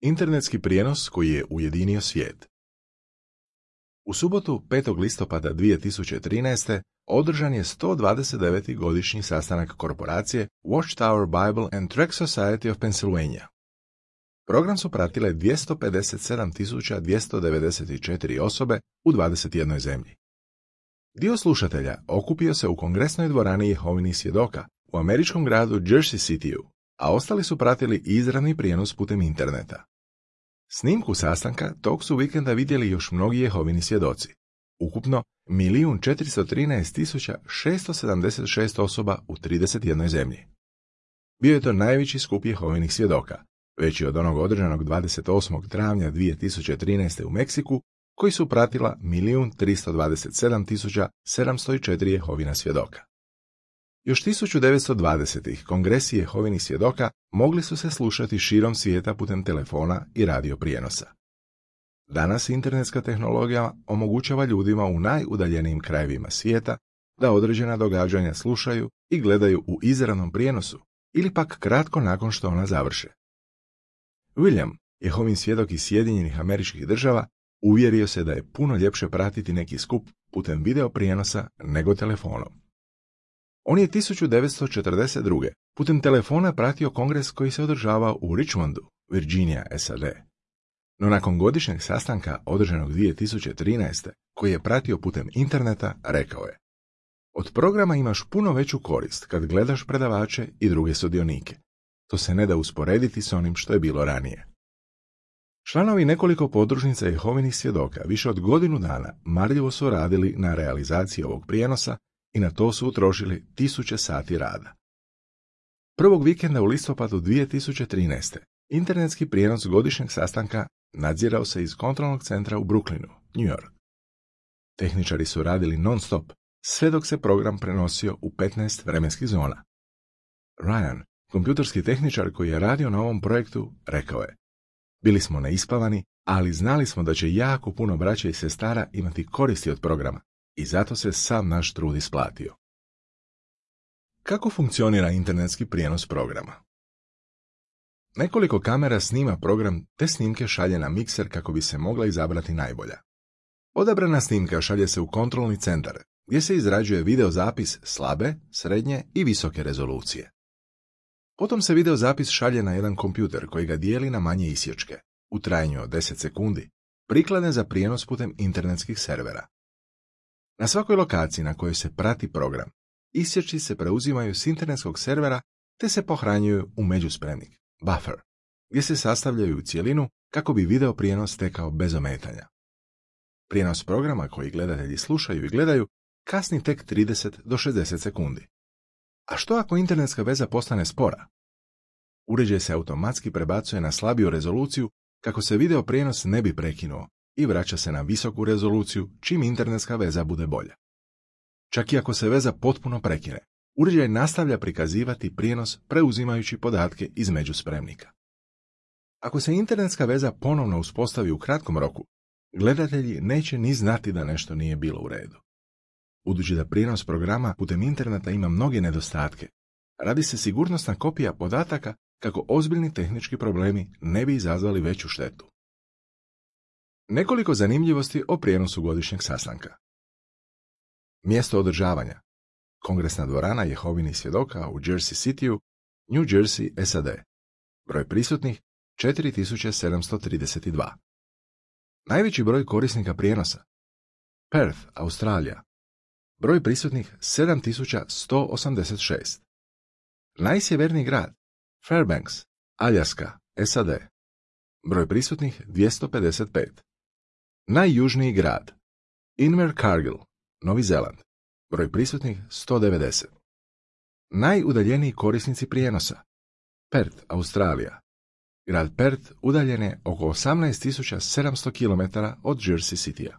Internetski prijenos koji je ujedinio svijet. U subotu 5. listopada 2013. održan je 129. godišnji sastanak korporacije Watchtower Bible and Tract Society of Pennsylvania. Program su pratile 257.294 osobe u 21 zemlji. Dio slušatelja okupio se u kongresnoj dvorani Jehovinih svjedoka u američkom gradu Jersey Cityu, a ostali su pratili izravni prijenos putem interneta. Snimku sastanka tog su vikenda vidjeli još mnogi Jehovini svjedoci. Ukupno 1.413.676 osoba u 31 zemlji. Bio je to najveći skup Jehovinih svjedoka, veći od onog održanog 28. travnja 2013. u Meksiku, koji su pratila 1.327.704 Jehovina svjedoka. Još 1920. kongresi Jehovinih svjedoka mogli su se slušati širom svijeta putem telefona i radio prijenosa. Danas internetska tehnologija omogućava ljudima u najudaljenijim krajevima svijeta da određena događanja slušaju i gledaju u izravnom prijenosu ili pak kratko nakon što ona završe. William, Jehovin svjedok iz Sjedinjenih Američkih Država, uvjerio se da je puno ljepše pratiti neki skup putem video prijenosa nego telefonom. On je 1942. putem telefona pratio kongres koji se održavao u Richmondu, Virginia, SAD. No nakon godišnjeg sastanka održanog 2013. koji je pratio putem interneta, rekao je: od programa imaš puno veću korist kad gledaš predavače i druge sudionike. To se ne da usporediti s onim što je bilo ranije. Članovi nekoliko podružnica Jehovinih svjedoka više od godinu dana marljivo su radili na realizaciji ovog prijenosa i na to su utrošili 1000 sati rada. Prvog vikenda u listopadu 2013. internetski prijenos godišnjeg sastanka nadzirao se iz kontrolnog centra u Brooklynu, New York. Tehničari su radili non-stop, sve dok se program prenosio u 15 vremenskih zona. Ryan, kompjuterski tehničar koji je radio na ovom projektu, rekao je: bili smo neispavani, ali znali smo da će jako puno braće i sestara imati koristi od programa i zato se sav naš trud isplatio. Kako funkcionira internetski prijenos programa? Nekoliko kamera snima program te snimke šalje na mikser kako bi se mogla izabrati najbolja. Odabrana snimka šalje se u kontrolni centar gdje se izrađuje videozapis slabe, srednje i visoke rezolucije. Potom se videozapis šalje na jedan kompjuter koji ga dijeli na manje isječke, u trajanju od 10 sekundi, prikladne za prijenos putem internetskih servera. Na svakoj lokaciji na kojoj se prati program, isječci se preuzimaju s internetskog servera te se pohranjuju u međuspremnik, buffer, gdje se sastavljaju u cjelinu kako bi video prijenos tekao bez ometanja. Prijenos programa koji gledatelji slušaju i gledaju kasni tek 30 do 60 sekundi. A što ako internetska veza postane spora? Uređaj se automatski prebacuje na slabiju rezoluciju kako se video prijenos ne bi prekinuo i vraća se na visoku rezoluciju čim internetska veza bude bolja. Čak i ako se veza potpuno prekine, uređaj nastavlja prikazivati prijenos preuzimajući podatke iz međuspremnika. Ako se internetska veza ponovno uspostavi u kratkom roku, gledatelji neće ni znati da nešto nije bilo u redu. Budući da prijenos programa putem interneta ima mnoge nedostatke, radi se sigurnosna kopija podataka kako ozbiljni tehnički problemi ne bi izazvali veću štetu. Nekoliko zanimljivosti o prijenosu godišnjeg sastanka. Mjesto održavanja: Kongresna dvorana Jehovinih svjedoka u Jersey Cityu, New Jersey, SAD. Broj prisutnih 4732. Najveći broj korisnika prijenosa: Perth, Australija. Broj prisutnih 7186. Najsjeverniji grad: Fairbanks, Aljaska, SAD. Broj prisutnih 255. Najjužniji grad: Invercargill, Novi Zeland. Broj prisutnih 190. Najudaljeniji korisnici prijenosa: Perth, Australija. Grad Perth udaljen je oko 18.700 km od Jersey Citya.